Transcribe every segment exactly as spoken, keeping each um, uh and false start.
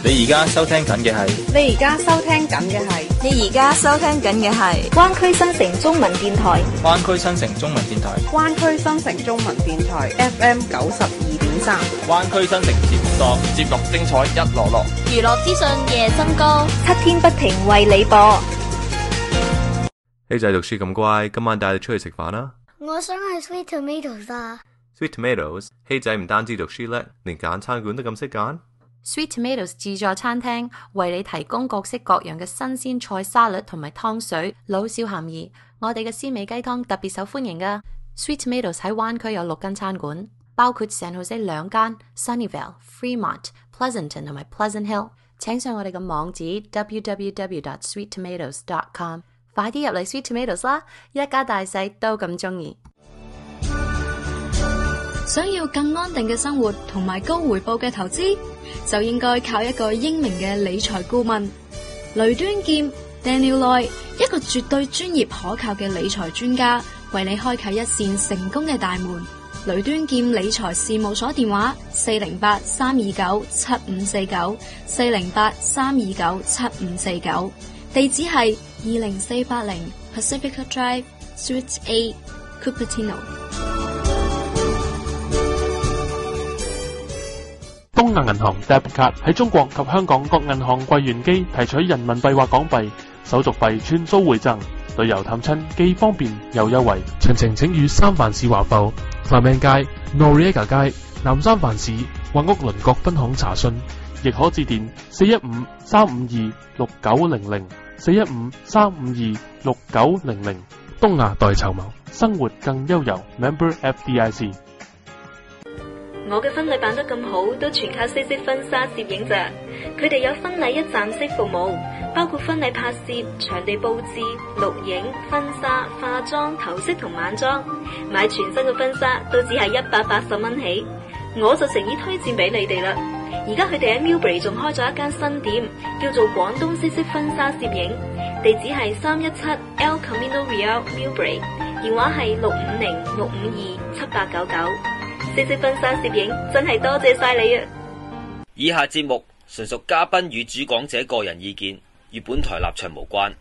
你而家收聽緊嘅係，你而家收聽緊嘅係，你而家收聽緊嘅係灣區新城中文電台，灣區新城中文電台，灣區新城中文電台 F M 九十二點三，灣區新城節目多，節目精彩一籮籮，娛樂資訊夜深歌，七天不停為你播。希仔讀書咁乖，今晚帶你出去食飯啦。我想去 Sweet Tomatoes 啊。Sweet Tomatoes，希仔唔單止讀書叻，連揀餐館都咁識揀。Sweet Tomatoes 自助餐廳為你提供各式各樣嘅新鮮菜沙律同埋湯水，老少咸宜。我哋嘅鮮味雞湯特別受歡迎噶。Sweet Tomatoes 喺灣區有六間餐館，包括 San Jose 兩間、Sunnyvale、Fremont、Pleasanton 同埋 Pleasant Hill。請上我哋嘅網址 double-u double-u double-u dot sweet tomatoes dot com， 快啲入嚟 Sweet Tomatoes 啦！一家大細都咁中意。想要更安定嘅生活同埋高回報嘅投資，就應該靠一個英明嘅理財顧問雷端劍 Daniel Loy， 一個絕對專業可靠嘅理財專家，為你開啟一扇成功嘅大門。雷端劍理財事務所電話：四零八三二九七五四九，四零八三二九七五四九，地址係二零四八零 Pacifica Drive Suite A Cupertino。東亞銀行 Debit Card 喺中國及香港各銀行櫃員機提取人民幣或港幣，手續費全數回贈，旅遊探親既方便又優惠。詳情請與三藩市華埠、Clement 街、Noriega 街、南三藩市或屋鄰各分行查詢，亦可致電四一五三五二六九零零、四一五三五二六九零零。東亞代籌謀，生活更悠遊。Member F D I C。我嘅婚禮辦得咁好，都全靠西式婚紗攝影咋。佢哋有婚禮一站式服務，包括婚禮拍攝、場地佈置、錄影、婚紗、化妝、頭飾同晚裝。買全新嘅婚紗都只係一百八十蚊起，我就誠意推薦俾你哋啦。而家佢哋喺 Millbrae 仲開咗一間新店，叫做廣東西式婚紗攝影，地址係三一七 El Camino Real Millbrae， 電話係六五零六五二七八九九。西式婚紗攝影真係多謝晒你啊！以下節目純屬嘉賓與主講者個人意見，與本台立場無關。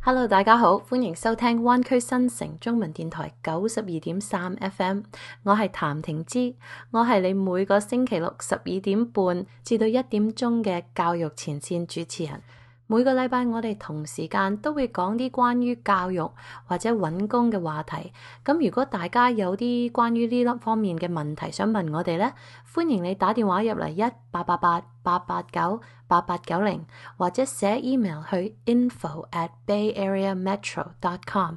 Hello， 大家好，歡迎收聽灣區新城中文電台九十二點三 F M， 我係譚婷芝，我係你每個星期六十二點半至到一點鐘嘅教育前線主持人。每個禮拜我哋同時間都會講啲關於教育或者揾工嘅話題，咁如果大家有啲關於呢粒方面嘅問題想問我哋呢，歡迎你打電話入嚟一八八八八八九八八九零，或者寫 email 去 info at bay area metro dot com，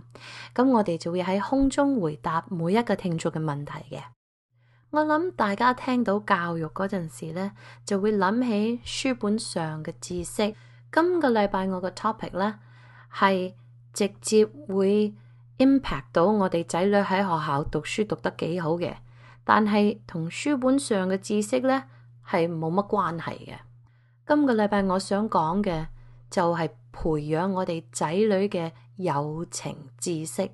咁我哋就會喺空中回答每一個聽眾嘅問題嘅。我諗大家聽到教育嗰陣時呢，就會諗起書本上嘅知識。今個禮拜我個 topic 呢係直接會 impact 到我哋仔女喺學校讀書讀得幾好嘅，但係同書本上嘅知識呢係冇乜關係嘅。今個禮拜我想講嘅就係培養我哋仔女嘅友情知識。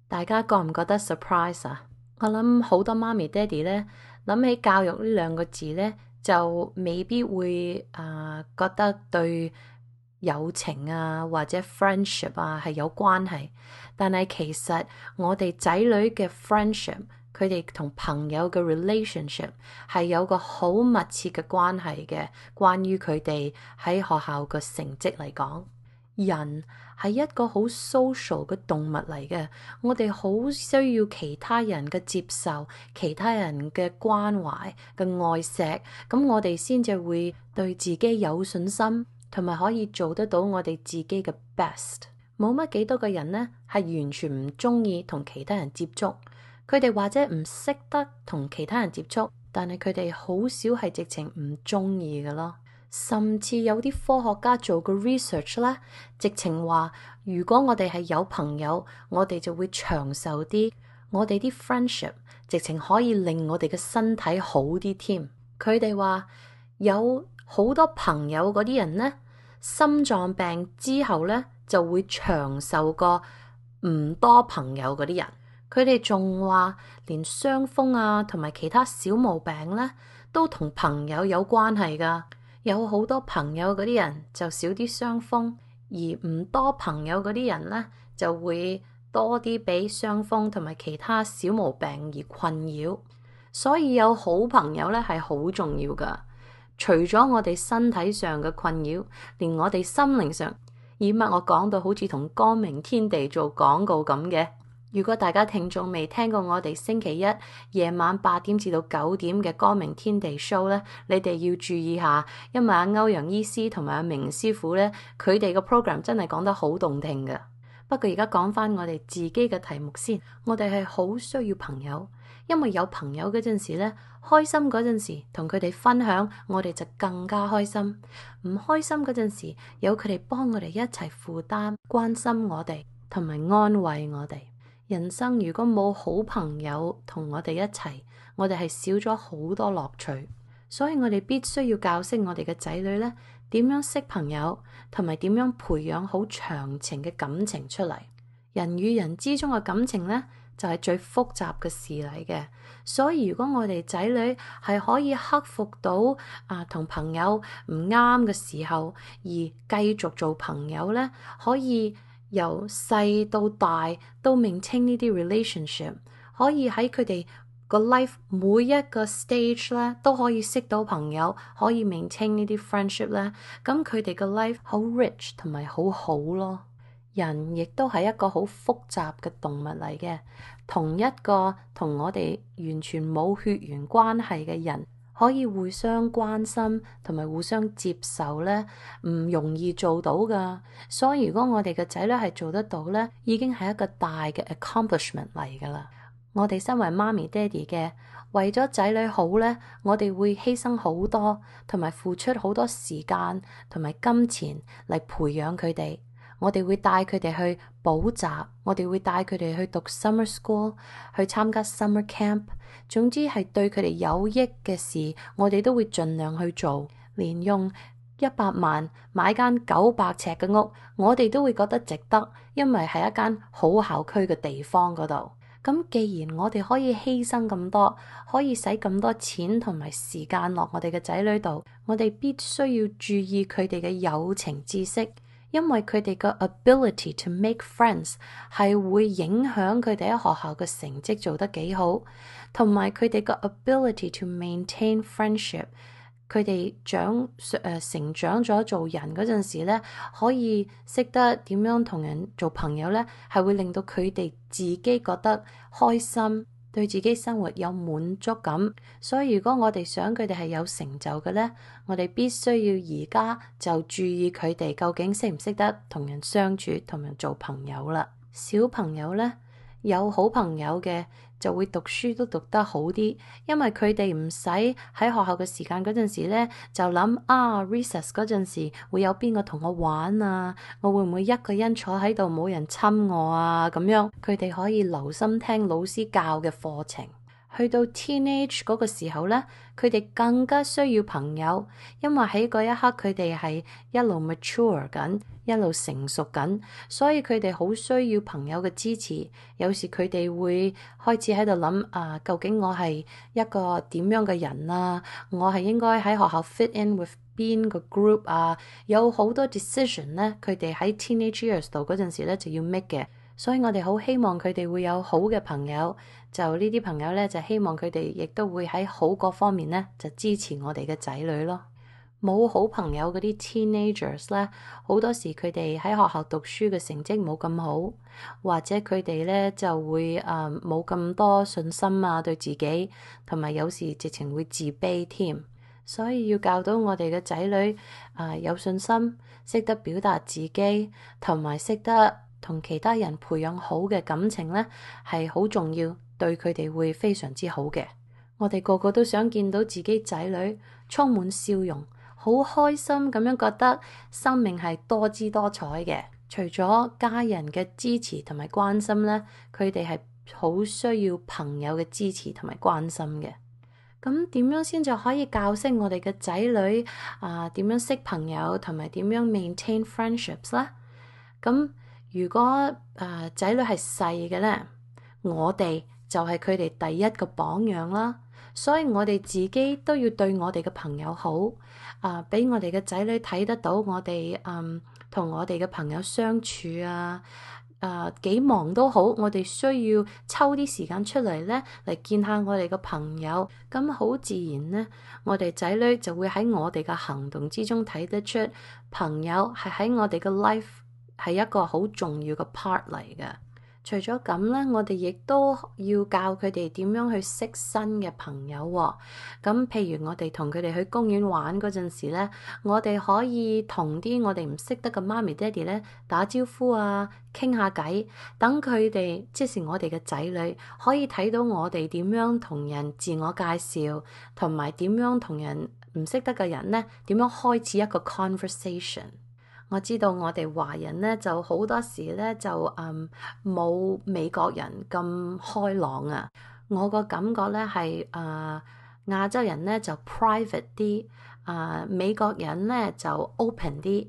大家覺唔覺得 surprise 啊？我諗好多媽咪爹哋呢諗起教育呢兩個字呢，就未必會啊、呃、覺得對友情啊或者 friendship 啊係有關係，但係其實我哋仔女嘅 friendship， 佢哋同朋友嘅 relationship 係有個好密切嘅關係嘅。關於佢哋喺學校嘅成績嚟講，人係一個好 social 嘅動物嚟嘅，我哋好需要其他人嘅接受，其他人嘅關懷嘅愛錫，咁我哋先至會對自己有信心，同埋可以做得到我哋自己嘅 best。冇乜幾多個人呢係完全唔中意同其他人接觸，佢哋或者唔識得同其他人接觸，但係佢哋好少係直情唔中意嘅咯。甚至有啲科學家做過 research 啦，直情話如果我哋係有朋友，我哋就會長壽啲，我哋啲 friendship 直情可以令我哋嘅身體好啲添。佢哋話有好多朋友嗰啲人呢，心臟病之後呢就會長壽過唔多朋友嗰啲人。佢哋仲話連傷風啊同埋其他小毛病呢都同朋友有關係噶。有好多朋友嗰啲人就少啲傷風，而唔多朋友嗰啲人呢，就會多啲俾傷風同埋其他小毛病而困擾。所以有好朋友呢係好重要噶。除咗我哋身體上嘅困擾，連我哋心靈上，以乜我講到好似同光明天地做廣告咁嘅。如果大家聽眾未聽過我哋星期一夜晚八點至到九點嘅光明天地 show 咧，你哋要注意下，因為阿歐陽醫師同埋阿明師傅咧，佢哋個 program 真係講得好動聽嘅。不過而家講翻我哋自己嘅題目先，我哋係好需要朋友，因為有朋友嗰陣時咧，開心嗰陣時同佢哋分享，我哋就更加開心；唔開心嗰陣時，有佢哋幫我哋一齊負擔、關心我哋同埋安慰我哋。人生如果冇好朋友同我哋一齊，我哋係少咗好多樂趣。所以我哋必須要教識我哋嘅仔女咧，點樣識朋友，同埋點樣培養好長情嘅感情出嚟。人與人之中嘅感情咧，就係最複雜嘅事嚟嘅。所以如果我哋仔女係可以克服到啊同朋友唔啱嘅時候，而繼續做朋友咧，可以由細到大都 maintain 呢啲 relationship， 可以喺佢哋個 life 每一個 stage 咧都可以識到朋友，可以 maintain 呢啲 friendship 咧，咁佢哋個 life 好 rich 同埋好好咯。人亦都係一個好複雜嘅動物嚟嘅，同一個同我哋完全冇血緣關係嘅人，可以互相關心同埋互相接受咧，唔容易做到噶。所以如果我哋嘅仔女係做得到咧，已經係一個大嘅 accomplishment 嚟噶啦。我哋身為媽咪爹哋嘅，為咗仔女好咧，我哋會犧牲好多，同埋付出好多時間同埋金錢嚟培養佢哋。我哋會帶佢哋去補習，我哋會帶佢哋去讀 summer school， 去參加 summer camp。總之係對佢哋有益嘅事，我哋都會盡量去做。連用一百萬買間九百尺嘅屋，我哋都會覺得值得，因為係一間好校區嘅地方嗰度。咁既然我哋可以犧牲咁多，可以使咁多錢同埋時間落我哋嘅仔女度，我哋必須要注意佢哋嘅友情知識。因為佢哋嘅 ability to make friends 係會影響佢哋喺學校嘅成績做得幾好，同埋佢哋嘅 ability to maintain friendship。佢哋長誒、呃、成長咗做人嗰陣時咧，可以識得點樣同人做朋友咧，係會令到佢哋自己覺得開心，對自己生活有滿足感。所以如果我哋想佢哋係有成就嘅咧，我哋必須要而家就注意佢哋究竟識唔識得同人相處，同人做朋友啦。小朋友咧，有好朋友嘅就會讀書都讀得好啲，因為佢哋唔使喺學校嘅時間嗰陣時咧就諗啊 recess 嗰陣時會有邊個同我玩啊，我會唔會一個人坐喺度冇人親我啊，咁樣佢哋可以留心聽老師教嘅課程。去到 teenage 嗰個時候咧，佢哋更加需要朋友，因為喺嗰一刻佢哋係一路 mature 緊，一路成熟緊，所以佢哋好需要朋友嘅支持。有時佢哋會開始喺度諗啊，究竟我係一個點樣嘅人啊？我係應該喺學校 fit in with 邊個 group 啊？有好多 decision 咧，佢哋喺 teenage years 度嗰陣時咧就要 make 嘅。所以我哋好希望佢哋會有好嘅朋友，就呢啲朋友咧就希望佢哋亦都會喺好嗰方面咧就支持我哋嘅仔女咯。冇好朋友嗰啲 teenagers 咧，好多時佢哋喺學校讀書嘅成績冇咁好，或者佢哋咧就會誒冇咁多信心啊對自己，同埋有時直情會自卑添。所以要教到我哋嘅仔女誒、呃、有信心，識得表達自己，同埋識得同其他人培養好嘅感情咧，係好重要，對佢哋會非常之好嘅。我哋個個都想見到自己仔女充滿笑容，好開心咁樣，覺得生命係多姿多彩嘅。除咗家人嘅支持同埋關心咧，佢哋係好需要朋友嘅支持同埋關心嘅。咁點樣先就可以教識我哋嘅仔女啊？點樣識朋友同埋點樣 maintain friendships 咧？咁如果誒、呃、仔女係細嘅咧，我哋就係佢哋第一個榜樣啦。所以我哋自己都要對我哋嘅朋友好，啊，俾我哋嘅仔女睇得到我哋嗯同我哋嘅朋友相處啊。誒幾、uh, 忙都好，我哋需要抽啲時間出嚟咧，嚟見下我哋嘅朋友。咁好自然咧，我哋仔女就會喺我哋嘅行動之中睇得出，朋友係喺我哋嘅 life 係一個好重要嘅 part 嚟嘅。除咗咁咧，我哋亦都要教佢哋點樣去識新嘅朋友喎。咁譬如我哋同佢哋去公園玩嗰陣時咧，我哋可以同啲我哋唔識得嘅媽咪爹哋咧打招呼啊，傾下偈，等佢哋即是我哋嘅仔女可以睇到我哋點樣同人自我介紹，同埋點樣同人唔識得嘅人咧點樣開始一個 conversation。我知道我哋華人咧就好多時咧就嗯冇美國人咁開朗啊，我個感覺咧係誒亞洲人咧就 private 啲，誒、呃、美國人咧就 open 啲。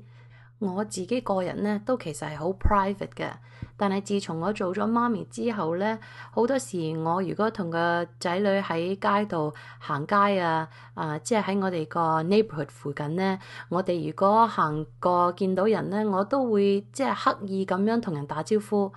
我自己個人咧都其實係好 private 嘅，但係自從我做咗媽咪之後咧，好多時我如果同個仔女喺街度行街啊，啊、呃、即係喺我哋個 neighborhood 附近咧，我哋如果行過見到人咧，我都會即係刻意咁樣同人打招呼。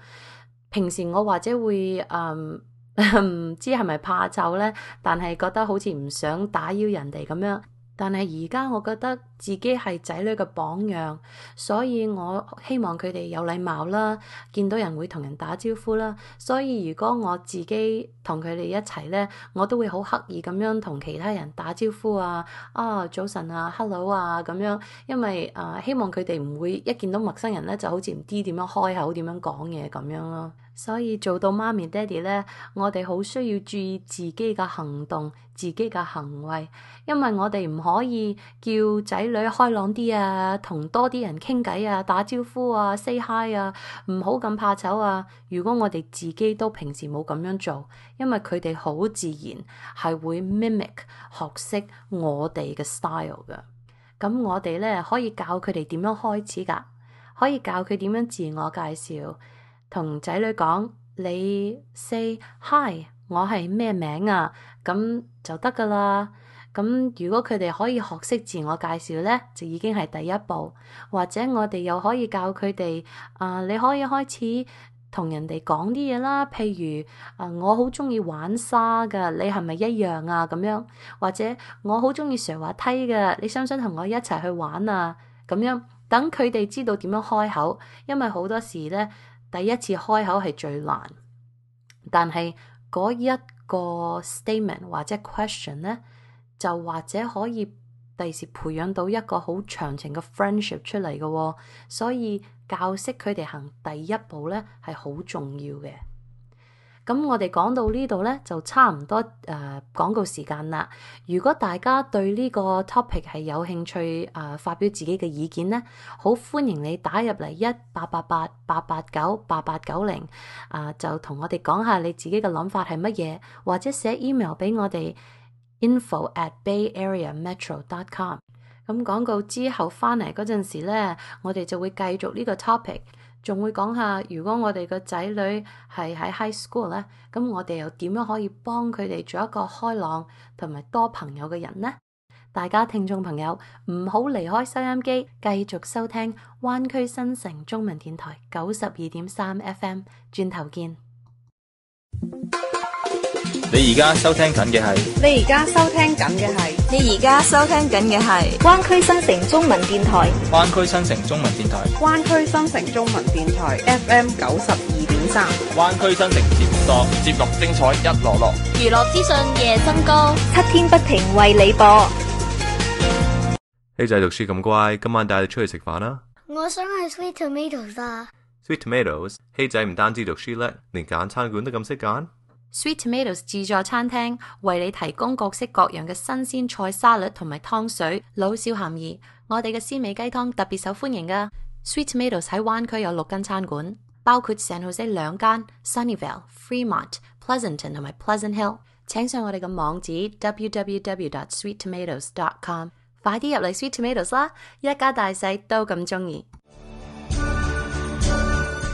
平時我或者會誒唔知係咪怕醜咧，但係覺得好似唔想打擾人哋咁樣。但係而家我覺得自己係仔女嘅榜樣，所以我希望佢哋有禮貌啦，見到人會同人打招呼啦。所以如果我自己同佢哋一齊咧，我都會好刻意咁樣同其他人打招呼啊，啊早晨啊 ，hello 啊咁樣，因為誒、呃、希望佢哋唔會一見到陌生人咧就好似唔知點樣開口、點樣講嘢咁樣咯。所以做到媽咪爹哋咧，我哋好需要注意自己嘅行動、自己嘅行為，因為我哋唔可以叫仔女開朗啲啊，同多啲人傾偈啊，打招呼啊 ，say hi 啊，唔好咁怕醜啊。如果我哋自己都平時冇咁樣做，因為佢哋好自然係會 mimic 學識我哋嘅 style 㗎。咁我哋咧可以教佢哋點樣開始㗎，可以教佢點樣自我介紹。同仔女講，你 say hi， 我係咩名啊？咁就得噶啦。咁如果佢哋可以學識自我介紹咧，就已經係第一步。或者我哋又可以教佢哋，啊、呃，你可以開始同人哋講啲嘢啦。譬如，啊、呃，我好中意玩沙噶，你係咪一樣啊？咁樣，或者我好中意上滑梯噶，你想唔想同我一齊去玩啊？咁樣，等佢哋知道點樣開口，因為好多時咧。第一次開口係最難，但係嗰一個 statement 或者 question 咧，就或者可以第時培養到一個好長情嘅 friendship 出嚟嘅喎，所以教識佢哋行第一步咧係好重要嘅。咁我哋講到呢度咧，就差唔多誒、呃、廣告時間啦。如果大家對呢個 topic 係有興趣誒、呃、發表自己嘅意見咧，好歡迎你打入嚟一八八八八八九八八九零啊，就同我哋講下你自己嘅諗法係乜嘢，或者寫 email 俾我哋 info at bay area metro dot com。咁廣告之後翻嚟嗰陣時咧，我哋就會繼續呢個 topic。仲會講下，如果我哋個仔女係喺 high school 咧，咁我哋又點樣可以幫佢哋做一個開朗同埋多朋友嘅人呢？大家聽眾朋友唔好離開收音機，繼續收聽灣區新城中文電台九十二點三 F M， 轉頭見。你而家收聽緊嘅係，你而家收聽緊嘅係，你而家收聽緊嘅係灣區新城中文電台，灣區新城中文電台，灣區新城中文電台 F M 九十二點三，灣區新城節目多，節目精彩一籮籮，娛樂資訊夜增高，七天不停為你播。希仔讀書咁乖，今晚帶你出去食飯啦。我想去 Sweet Tomatoes 啊。Sweet Tomatoes， 希仔唔單止讀書叻，連揀餐館都咁識揀。Sweet Tomatoes 自助餐廳為你提供各式各樣嘅新鮮菜沙律同埋湯水，老少咸宜。我哋嘅鮮味雞湯特別受歡迎噶。Sweet Tomatoes 喺灣區有六間餐館，包括 San Jose 兩間、Sunnyvale、Fremont、Pleasanton 同埋 Pleasant Hill。請上我哋嘅網址 w w w dot sweet tomatoes dot com， 快啲入嚟 Sweet Tomatoes 啦！一家大細都咁中意。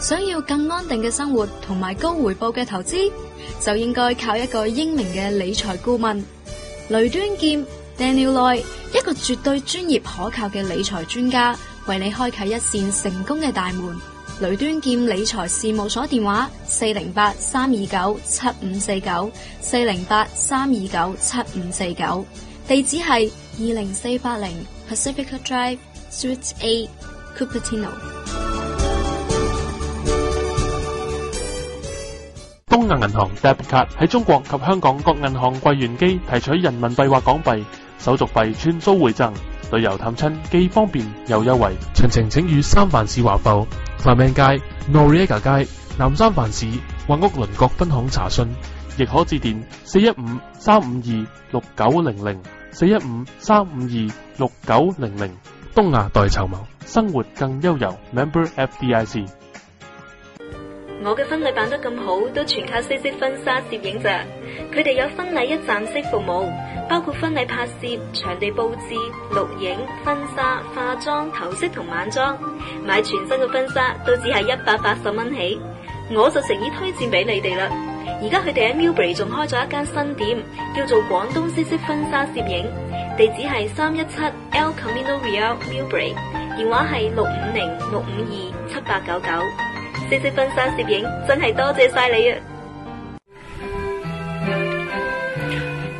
想要更安定嘅生活同埋高回報嘅投資，就應該靠一個英明嘅理財顧問。雷端劍 Daniel Loy， 一個絕對專業可靠嘅理財專家，為你開啟一扇成功嘅大門。雷端劍理財事務所電話：四零八三二九七五四九，四零八三二九七五四九。地址係二零四八零 Pacifica Drive Suite A Cupertino。東亞銀行 Debit Card 喺中國及香港各銀行櫃員機提取人民幣或港幣，手續費全數回贈，旅遊探親既方便又優惠。詳情請與三藩市華埠 Clement 街、Noriega 街、南三藩市或屋鄰各分行查詢，亦可致電四一五三五二六九零零 四一五三五二六九零零。東亞代籌謀，生活更悠遊。Member F D I C。我嘅婚禮辦得咁好，都全靠西式婚紗攝影咋。佢哋有婚禮一站式服務，包括婚禮拍攝、場地佈置、錄影、婚紗、化妝、頭飾同晚裝。買全新嘅婚紗都只係一百八十蚊起，我就誠意推薦俾你哋啦。而家佢哋喺 Millbrae 仲開咗一間新店，叫做廣東西式婚紗攝影，地址係三一七 El Camino Real Millbrae， 電話係六五零六五二七八九九。西式婚紗攝影真係多謝晒你啊！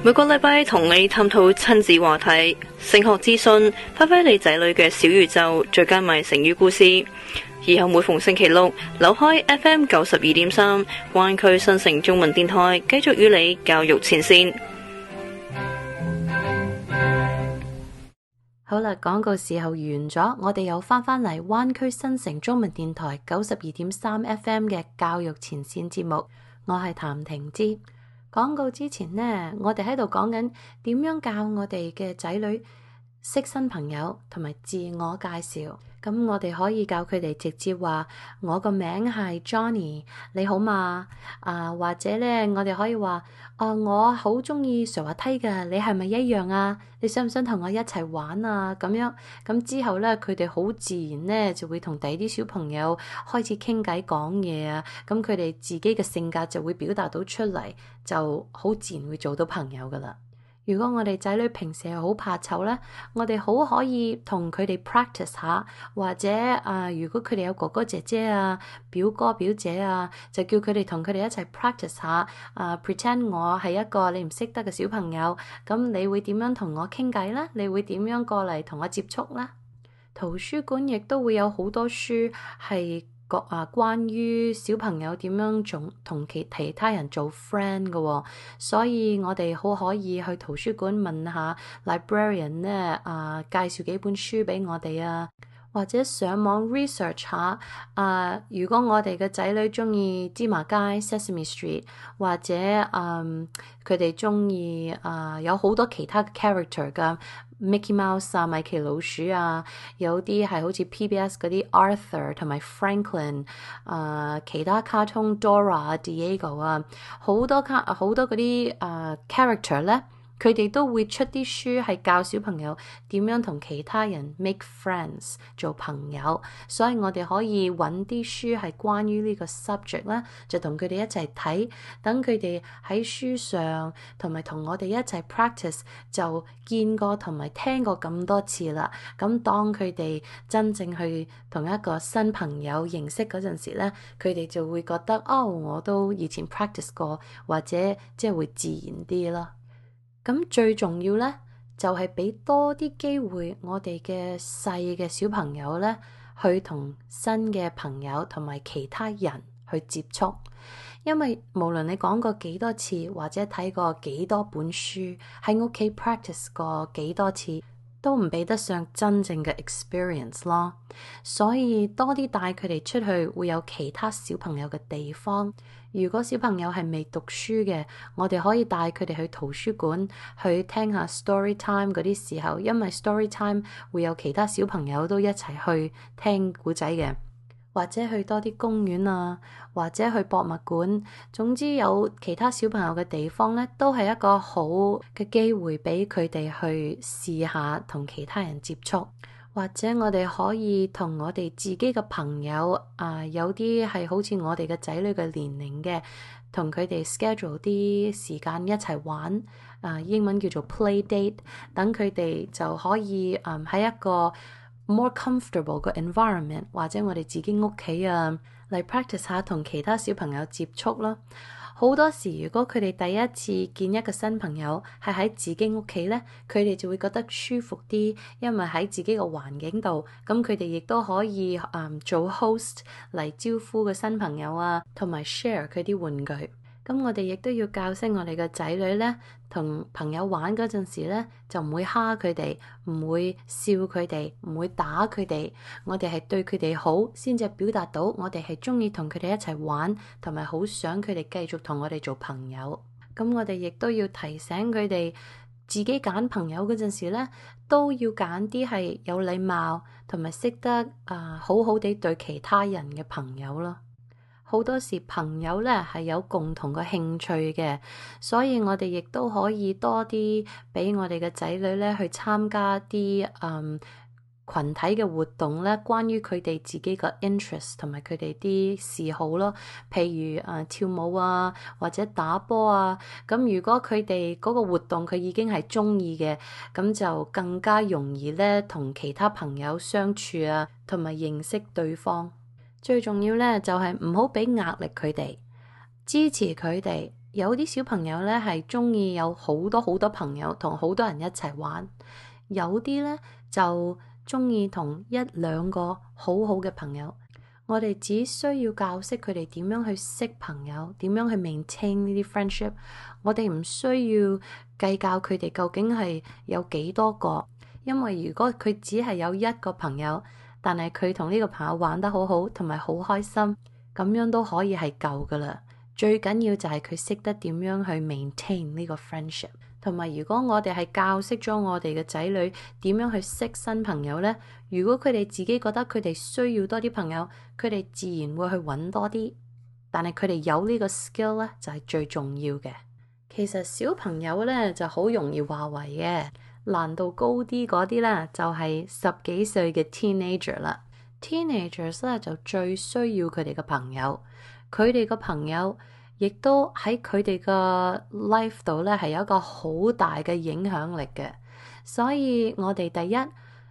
每個禮拜同你探討親子話題、升學資訊，發揮你仔女嘅小宇宙，最佳咪成語故事。以後每逢星期六，扭開 F M 九十二點三，灣區新城中文電台，繼續與你教育前線。好啦，廣告時候完咗，我哋又翻返嚟灣區新城中文電台九十二點三 F M 嘅教育前線節目，我係譚婷之。廣告之前呢，我哋喺度講緊點樣教我哋嘅仔女識新朋友同埋自我介紹。咁我哋可以教佢哋直接話我個名係 Johnny， 你好嘛？啊，或者咧，我哋可以話啊，我好中意上滑梯噶，你係咪一樣啊？你想唔想同我一齊玩啊？咁樣咁之後咧，佢哋好自然咧就會同第啲小朋友開始傾偈講嘢啊。咁佢哋自己嘅性格就會表達到出嚟，就好自然會做到朋友噶啦。如果我哋仔女平時係好怕醜咧，我哋好可以同佢哋 practice 下，或者啊、呃，如果佢哋有哥哥姐姐啊、表哥表姐啊，就叫佢哋同佢哋一齊 practice 下啊、呃、，pretend 我係一個你唔識得嘅小朋友，咁你會點樣同我傾偈咧？你會點樣過嚟同我接觸咧？圖書館亦都會有好多書係個啊，關於小朋友點樣做同其其他人做 friend 嘅、哦，所以我哋好可以去圖書館問下 librarian 咧啊，介紹幾本書俾我哋啊，或者上網 research 下啊。如果我哋嘅仔女中意芝麻街 Sesame Street， 或者嗯佢哋中意啊有好多其他 character 噶。Mickey Mouse 啊，米奇老鼠啊，有啲係好似 P B S 嗰啲 Arthur 同埋 Franklin， 啊、呃，其他卡通 Dora 啊、Diego 啊，好多卡好多嗰啲啊 character 咧。佢哋都會出啲書係教小朋友點樣同其他人 make friends 做朋友，所以我哋可以揾啲書係關於呢個 subject 啦，就同佢哋一齊睇，等佢哋喺書上同埋同我哋一齊 practice， 就見過同埋聽過咁多次啦。咁當佢哋真正去同一個新朋友認識嗰陣時咧，佢哋就會覺得哦，我都以前 practice 過，或者即係會自然啲咯。咁最重要咧，就係俾多啲機會我哋嘅細嘅小朋友咧，去同新嘅朋友同埋其他人去接觸。因為無論你講過幾多次，或者睇過幾多本書，喺屋企 practice 過幾多次，都唔比得上真正嘅 experience 咯。所以多啲帶佢哋出去，會有其他小朋友嘅地方。如果小朋友係未讀書嘅，我哋可以帶佢哋去圖書館去聽下 story time 嗰啲時候，因為 story time 會有其他小朋友都一齊去聽故仔嘅，或者去多啲公園啊，或者去博物館，總之有其他小朋友嘅地方咧，都係一個好嘅機會俾佢哋去試下同其他人接觸。或者我哋可以同我哋自己嘅朋友啊、呃，有啲係好似我哋嘅仔女嘅年齡嘅，同佢哋 schedule 啲時間一齊玩，啊英文叫做 play date， 等佢哋就可以誒喺、嗯、一個 more comfortable 嘅 environment， 或者我哋自己屋企啊嚟 practice 下同其他小朋友接觸啦。好多時如果佢哋第一次見一個新朋友係喺自己屋企呢，佢哋就會覺得舒服啲，因為喺自己個環境度，咁佢哋亦都可以誒、嗯、做 host 嚟招呼個新朋友啊，同埋 share 佢啲玩具。咁我哋亦都要教識我哋嘅仔女呢，同朋友玩嗰陣時呢，就唔會蝦佢哋，唔會笑佢哋，唔會打佢哋。我哋係對佢哋好，先至表達到我哋係中意同佢哋一齊玩，同埋好想佢哋繼續同我哋做朋友。咁我哋亦都要提醒佢哋，自己揀朋友嗰陣時呢，都要揀啲係有禮貌，同埋識得啊、呃、好好地對其他人嘅朋友咯。好多時朋友咧係有共同嘅興趣嘅，所以我哋亦都可以多啲俾我哋嘅仔女咧去參加啲嗯群體嘅活動咧，關於佢哋自己嘅 interest 同埋佢哋啲嗜好咯。譬如誒、呃、跳舞啊，或者打波啊。咁如果佢哋嗰個活動佢已經係中意嘅，咁就更加容易咧同其他朋友相處啊，同埋認識對方。最重要咧就係唔好俾壓力佢哋，支持佢哋。有啲小朋友咧係中意有好多好多朋友，同好多人一齊玩；有啲咧就中意同一兩個好好嘅朋友。我哋只需要教識佢哋點樣去識朋友，點樣去 maintain 呢啲 friendship。我哋唔需要計較佢哋究竟係有幾多個，因為如果佢只係有一個朋友，但係佢同呢個朋友玩得好好，同埋好開心，咁樣都可以係夠噶啦。最緊要就係佢識得點樣去 maintain 呢個 friendship， 同埋如果我哋係教識咗我哋嘅仔女點樣去識新朋友呢？如果佢哋自己覺得佢哋需要多啲朋友，佢哋自然會去揾多啲。但係佢哋有呢個 skill 咧，就係最重要嘅。其實小朋友咧就好容易話為嘅。難度高啲嗰啲咧，就係十幾歲嘅 teenager 啦。teenagers 咧就最需要佢哋嘅朋友，佢哋嘅朋友亦都喺佢哋嘅 life 度咧係有一個好大嘅影響力嘅。所以我哋第一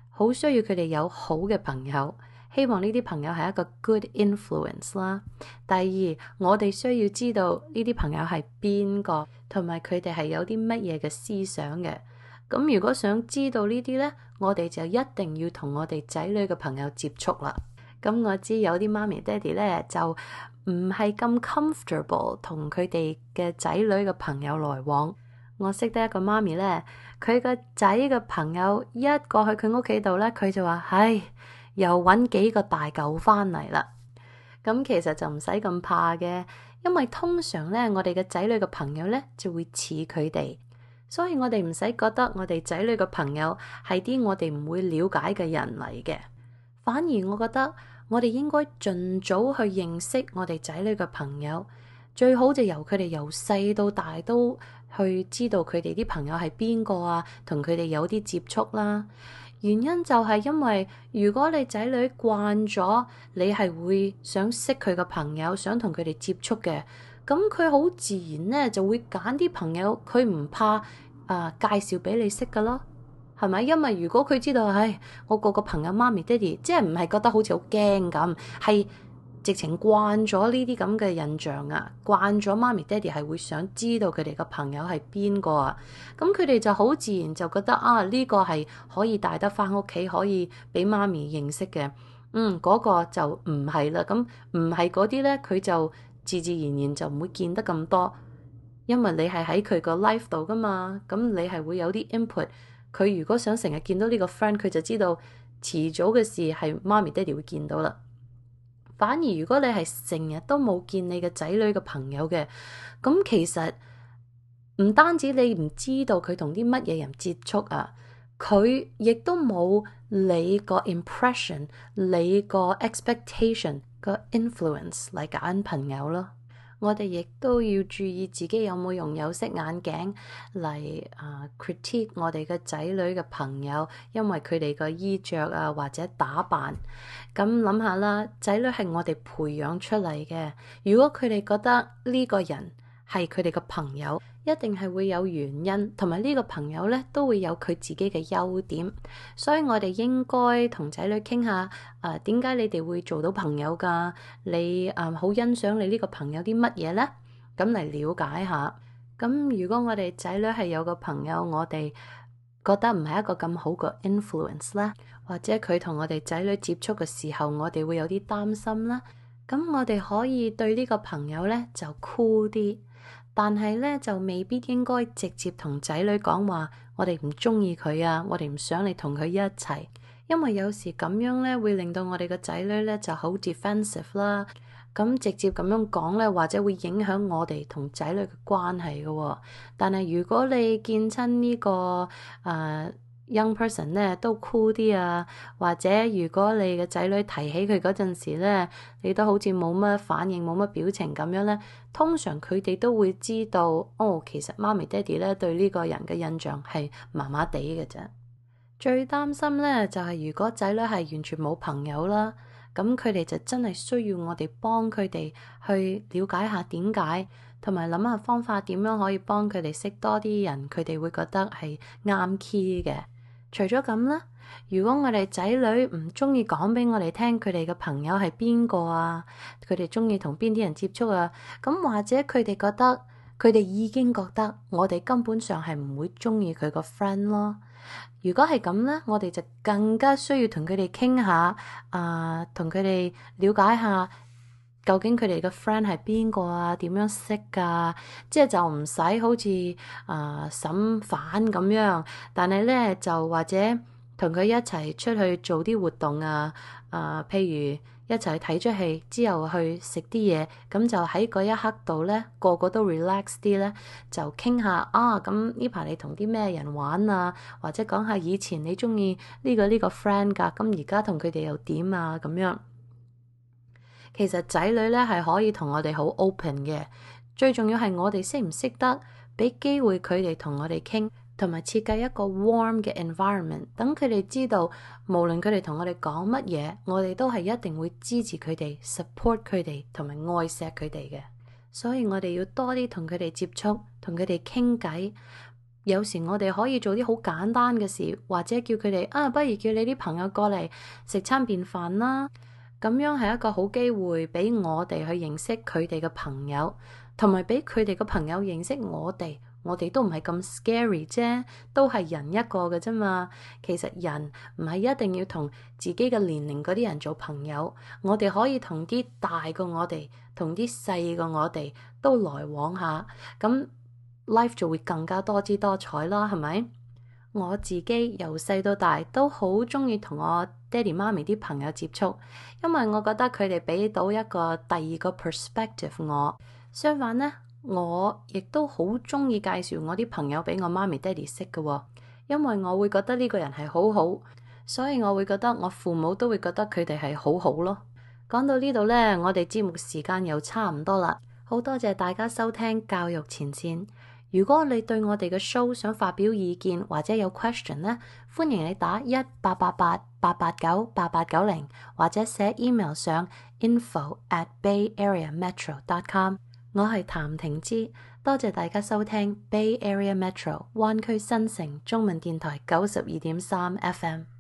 好需要佢哋有好嘅朋友，希望呢啲朋友係一個 good influence 啦。第二，我哋需要知道呢啲朋友係邊個，同埋佢哋係有啲乜嘢嘅思想嘅。咁如果想知道呢啲呢，我哋就一定要同我哋仔女嘅朋友接觸啦。咁我知有啲媽咪爹哋呢，就唔係咁 comfortable 同佢哋嘅仔女嘅朋友來往。我識得一個媽咪呢，佢個仔嘅朋友一過去佢屋企度呢，佢就話：唉，又揾幾個大嚿翻嚟啦。咁其實就唔使咁怕嘅，因為通常呢，我哋嘅仔女嘅朋友呢，就會似佢哋。所以我哋唔使覺得我哋仔女嘅朋友係啲我哋唔會了解嘅人嚟嘅，反而我覺得我哋應該盡早去認識我哋仔女嘅朋友，最好就由佢哋由細到大都去知道佢哋啲朋友係邊個啊，同佢哋有啲接觸啦。原因就係因為如果你仔女慣咗，你係會想識佢嘅朋友，想同佢哋接觸嘅。咁佢好自然咧，就會揀啲朋友，佢唔怕啊、呃、介紹俾你識噶咯，係咪？因為如果佢知道，唉，我個個朋友媽咪爹哋，即係唔係覺得好似好驚咁，係直情慣咗呢啲咁嘅印象啊，慣咗媽咪爹哋係會想知道佢哋嘅朋友係邊個啊，咁佢哋就好自然就覺得啊，呢個係可以帶得翻屋企，可以俾媽咪認識嘅。嗯，嗰個就唔係啦，咁唔係嗰啲咧，佢就自自然然就唔會見得咁多，因為你係喺佢個 life 度噶嘛，咁你係會有啲 input。佢如果想成日見到呢個 friend， 佢就知道遲早嘅事係媽咪爹哋會見到啦。反而如果你係成日都冇見你嘅仔女嘅朋友嘅，咁其實唔單止你唔知道佢同啲乜嘢人接觸啊，佢亦都冇你個 impression、你個 expectation 個 influence 嚟揀朋友咯。我哋亦都要注意自己有冇用有色眼鏡嚟啊 critique 我哋嘅仔女嘅朋友，因為佢哋嘅衣着啊或者打扮。咁諗下啦，仔女係我哋培養出嚟嘅，如果佢哋覺得呢個人係佢哋嘅朋友，一定係會有原因，同埋呢個朋友咧都會有佢自己嘅優點，所以我哋應該同仔女傾下，誒點解你哋會做到朋友㗎？你誒好、呃、欣賞你呢個朋友啲乜嘢咧？咁嚟了解下。咁如果我哋仔女係有個朋友，我哋覺得唔係一個咁好嘅 influence 啦，或者佢同我哋仔女接觸嘅時候，我哋會有啲擔心啦。咁我哋可以對呢個朋友咧就 cool 啲。但係咧就未必應該直接同仔女講話，我哋唔中意佢啊，我哋唔想你同佢一齊，因為有時咁樣咧會令到我哋個仔女咧就好 defensive 啦。咁直接咁樣講咧，或者會影響我哋同仔女嘅關係嘅。但係如果你見親呢個誒young person 咧都 cool 啲啊，或者如果你嘅仔女提起佢嗰陣時咧，你都好似冇乜反應冇乜表情咁樣咧，通常佢哋都會知道，哦，其實媽咪爹哋咧對呢個人嘅印象係麻麻地嘅啫。最擔心咧就係如果仔女係完全冇朋友啦，咁佢哋就真係需要我哋幫佢哋去了解下點解，同埋諗下方法點樣可以幫佢哋識多啲人，佢哋會覺得係啱 key 嘅。除咗咁啦，如果我哋仔女唔中意講俾我哋聽佢哋嘅朋友係邊個啊，佢哋中意同邊啲人接觸啊，咁或者佢哋覺得佢哋已經覺得我哋根本上係唔會中意佢個 friend 咯。如果係咁咧，我哋就更加需要同佢哋傾下，啊、呃，同佢哋了解下究竟佢哋嘅 friend 係邊個啊，點樣識噶，即係就唔使好似啊審犯咁樣，但係咧就或者同佢一齊出去做啲活動啊，啊、呃，譬如一齊睇出戲之後去食啲嘢，咁就喺嗰一刻度咧，個個都 relax 啲咧，就傾下啊，咁呢排你同啲咩人玩啊，或者講下以前你中意呢個呢個 friend 噶，咁而家同佢哋又點啊咁樣。其實仔女咧係可以同我哋好 open 嘅，最重要係我哋識唔識得俾機會佢哋同我哋傾，同埋設計一個 warm 嘅 environment，等佢哋知道無論佢哋同我哋講乜嘢，我哋都係一定會支持佢哋 support 佢哋同埋愛錫佢哋嘅。所以我哋要多啲同佢哋接觸，同佢哋傾偈。有時我哋可以做啲好簡單嘅事，或者叫佢哋啊，不如叫你啲朋友過嚟食餐便飯啦。咁樣係一個好機會俾我哋去認識佢哋嘅朋友，同埋俾佢哋嘅朋友認識我哋。我哋都唔係咁 scary 啫，都係人一個嘅啫嘛。其實人唔係一定要同自己嘅年齡嗰啲人做朋友，我哋可以同啲大過我哋，同啲細過我哋都來往下，咁 life 就會更加多姿多彩啦，係咪？我自己由細到大都好中意同我爹哋媽咪啲朋友接觸，因為我覺得佢哋俾到一個第二個 perspective 我。相反呢，我亦都好中意介紹我啲朋友俾我媽咪爹哋識嘅，因為我會覺得呢個人係好好，所以我會覺得我父母都會覺得佢哋係好好咯。講到呢度呢，我哋節目時間又差唔多啦，好多謝大家收聽教育前線。如果你對我哋嘅 show 想發表意見或者有 question 呢，歡迎你打一八八八八八九八八九零，或者寫 email 上 info at bay area metro dot com。我係譚婷芝，多謝大家收聽 Bay Area Metro 灣區新城中文電台九十二點三 F M。